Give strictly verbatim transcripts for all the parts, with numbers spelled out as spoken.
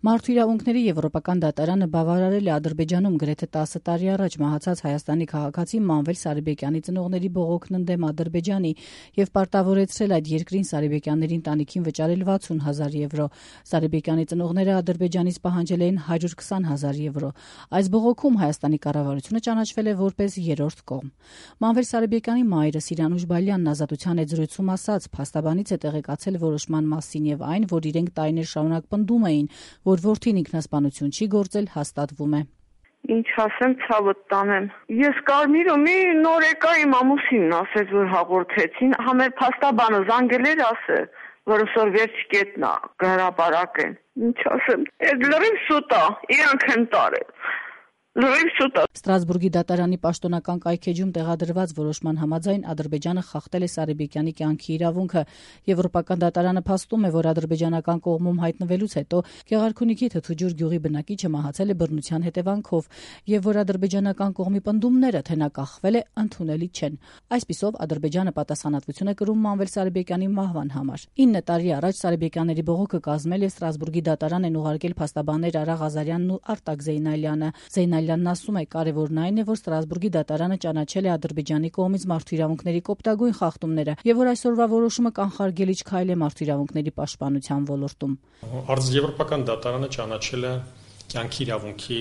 Մարդու իրավունքների եվրոպական դատարանը բավարարել է Ադրբեջանում գրեթե տասը տարի առաջ մահացած Հայաստանի քաղաքացի Մանվել Սարիբեկյանի ծնողների բողոքն ընդդեմ Ադրբեջանի եւ պարտավորեցրել այդ երկրին Սարիբեկյանների ընտանիքին վճարել վաթսուն հազար եվրո։ Սարիբեկյանի ծնողները Ադրբեջանից պահանջել էին հարյուր քսան հազար եվրո։ Այս բողոքում Հայաստանի կառավարությունը ճանաչվել է որպես երրորդ կողմ։ Մանվել Սարիբեկյանի մայրը Սիրանուշ Բալյանն Ազատության հետ զրույցում ասաց, փաստաբանից է տեղեկացել որոշման մասին եւ այն, որ իրենք տարիներ շարունակ պնդում էին, որ որդին ինքնասպանություն չի գործել, հաստատվում է։ Ինչ ասեմ, ցավդ տանեմ։ Ես Կարմիրը մի նոր եկա իմ ամուսինն ասեց, որ հաղորդեցին, համեր փաստաբանը զանգել էր ասել, որ այսօր վերջ կետնա հրապարակեն։ Ինչ ասեմ, այդ լրիվ սուտ է, իրանք են տարել։ Ստրասբուրգի դատարանի պաշտոնական կայքեջում տեղադրված որոշման համաձայն Ադրբեջանը խախտել է Սարիբեկյանի կյանքի իրավունքը։ Եվրոպական դատարանը փաստում է, որ ադրբեջանական կողմում հայտնվելուց հետո Գեղարքունիքի Թթուջուր գյուղի բնակիչը մահացել է բռնության հետևանքով եւ որ ադրբեջանական կողմի պնդումները, թե նա կախվել է, ընդունելի չեն։ Այսպիսով Ադրբեջանը պատասխանատվություն է կրում Մանվել Սարիբեկյանի մահվան համար։ ինը տարի առաջ Սարիբեկյանների բողոքը կազմել է Ստրասբուրգի դատարան են ուղարկել փաստաբաններ Արա Ղազարյանն ու Արտակ Զեյնալյանը։ Զեյնալյանն ասում է, կարևորն այն է, որ Ստրասբուրգի դատարանը ճանաչել է Ադրբեջանի կողմից մարդու իրավունքների կոպտագույն խախտումները եւ որ այսօրվա որոշումը կանխարգելիչ քայլ է մարդու իրավունքների պաշտպանության ոլորտում։ Եվրոպական դատարանը ճանաչել է կյանքի իրավունքի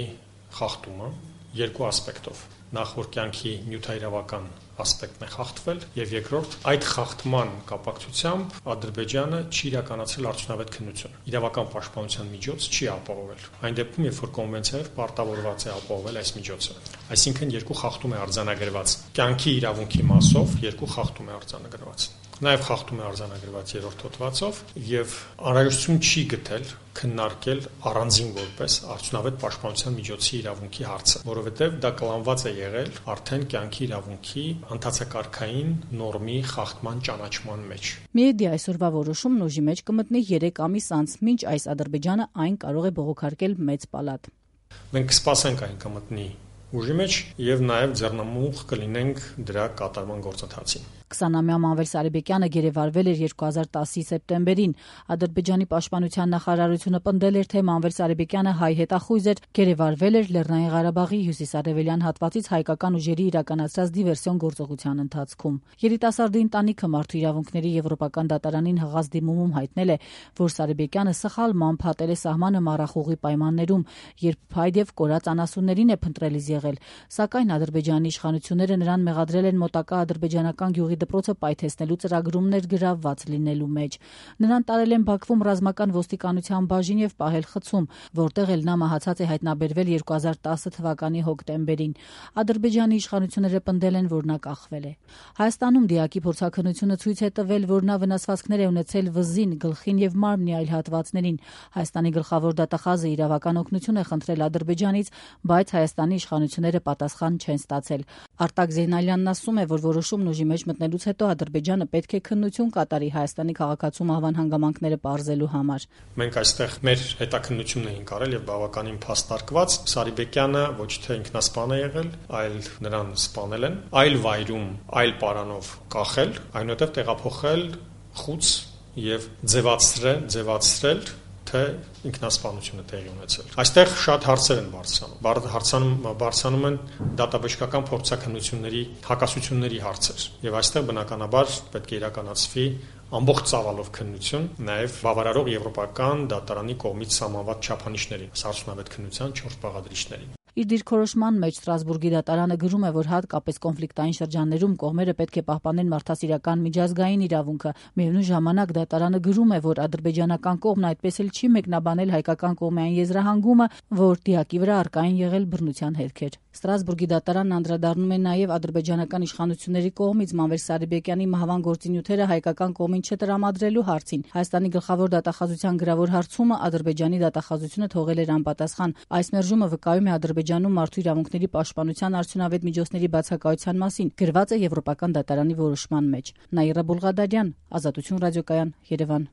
խախտումը երկու ասպեկտով։ Նախ որ կյանքի նյութայրավական ասպեկտն է խախտվել եւ երկրորդ այդ խախտման կապակցությամբ Ադրբեջանը չի իրականացրել արդյունավետ քննություն։ Իրավական պաշտպանության միջոց չի ապահովել։ Այն դեպքում, երբ որ կոնվենցիայով պարտավորված է ապահովել այս միջոցը։ Այսինքն երկու խախտում է արձանագրված։ Կյանքի իրավունքի մասով երկու խախտում է արձանագրված։ Նաև խախտում է արձանագրված երրորդ հոդվածով եւ անհրաժեշտություն չի գտել քննարկել առանձին որպես արդյունավետ պաշտպանության միջոցի իրավունքի հարցը, որովհետեւ դա կլանված է եղել արդեն կյանքի իրավունքի ընթացակարգային նորմի խախտման ճանաչման մեջ։ Միեդի այսօրվա որոշումն ուժի մեջ կմտնի երեք ամիս անց, մինչ այս Ադրբեջանը այն կարող է բողոքարկել մեծ պալատ։ Մենք կսպասենք այն կմտնի ուժի մեջ եւ նաեւ ձեռնամուխ կլինենք դրա կատարման գործընթացին։ քսանամյա Մանվել Սարիբեկյանը գերեվարվել էր երկու հազար տասի սեպտեմբերին։ Ադրբեջանի պաշտպանության նախարարությունը պնդել էր, թե Մանվել Սարիբեկյանը հայ հետախույզ էր, գերեվարվել էր Լեռնային Ղարաբաղի հյուսիսարևելյան հատվածից հայկական ուժերի իրականացրած դիվերսիոն գործողության ընթացքում։ Երիտասարդի ընտանիքը մարդու իրավունքների եվրոպական դատարանին հղած դիմումում հայտնել է, որ Սարիբեկյանը սխալմամբ հատել է սահմանը մառախուղի պայմաններում, երբ փայտ եւ կորած անասուններին է փնտրելիս եղել, սակայն Ադրբեջանի իշխանությունները նրան մեղադրել են մոտակա ադրբեջանական գյուղի դպրոցը պայթեցնելու ծրագրումներ գրավված լինելու մեջ։ Նրան տարել են Բաքվում ռազմական ոստիկանության բաժին եւ պահել խցում, որտեղ էլ նա մահացած է հայտնաբերվել երկու հազար տասը թվականի հոկտեմբերին։ Ադրբեջանի իշխանությունները պնդել են, որ նա կախվել է։ Հայաստանում դիակի փորձաքննությունը ցույց է տվել, որ նա վնասվածքներ է ունեցել վզին, գլխին եւ մարմնի այլ հատվածներին։ Հայաստանի գլխավոր դատախազը իրավական օգնություն է խնդրել Ադրբեջանից, բայց Հայաստանի իշխանությունները պատասխան չեն ստացել։ Արտակ Զեյնալյանն ասում է, որ որոշումն ուժի մեջ մտնելուց հետո Ադրբեջանը պետք է քննություն կատարի Հայաստանի քաղաքացու մահվան հանգամանքները պարզելու համար։ Մենք այստեղ մեր հետաքննությունն էինք արել եւ բավականին փաստարկված Սարիբեկյանը ոչ թե ինքնասպան է եղել, այլ նրան սպանել են, այլ վայրում, այլ պարանով կախել, այնուհետև տեղափոխել խուց եւ ձևացրել, ձևացրել թե ինքնասպանությունը տեղի ունեցել։ Այստեղ շատ հարցեր են բարձրանում։ Հարցանում բարձրանում են դատաբժշկական փորձաքննությունների հակասությունների հարցեր։ Եվ այստեղ բնականաբար պետք է իրականացվի ամբողջ ծավալով քննություն, նաև բավարարող եվրոպական դատարանի կողմից սահմանված չափանիշներին, արդյունավետ քննության չորս բաղադրիչներին։ Իր դիրքորոշման մեջ Ստրասբուրգի դատարանը գրում է, որ հատկապես կոնֆլիկտային շրջաններում կողմերը պետք է պահպանեն մարդասիրական միջազգային իրավունքը։ Միևնույն ժամանակ դատարանը գրում է, որ ադրբեջանական կողմն այդպես էլ չի մեկնաբանել հայկական կողմային եզրահանգումը, որ դիակի վրա առկա են եղել բռնության հետքեր։ Ստրասբուրգի դատարանն անդրադառնում է նաև ադրբեջանական իշխանությունների կողմից Մանվել Սարիբեկյանի մահվան գործինյութերը հայկական կողմին չտրամադրելու հարցին։ Հայաստանի գլխավոր դատախազության գրավոր հարցումը Ադրբեջանի դատախազությունը թողել էր անպատասխան։ Այս մերժումը վկայում է Ադրբեջանում մարդու իրավունքների պաշտպանության արդյունավետ միջոցների բացակայության մասին, գրված է Եվրոպական դատարանի որոշման մեջ։ Նաիրա Բուլղադարյան, Ազատություն ռադիոկայան, Երևան։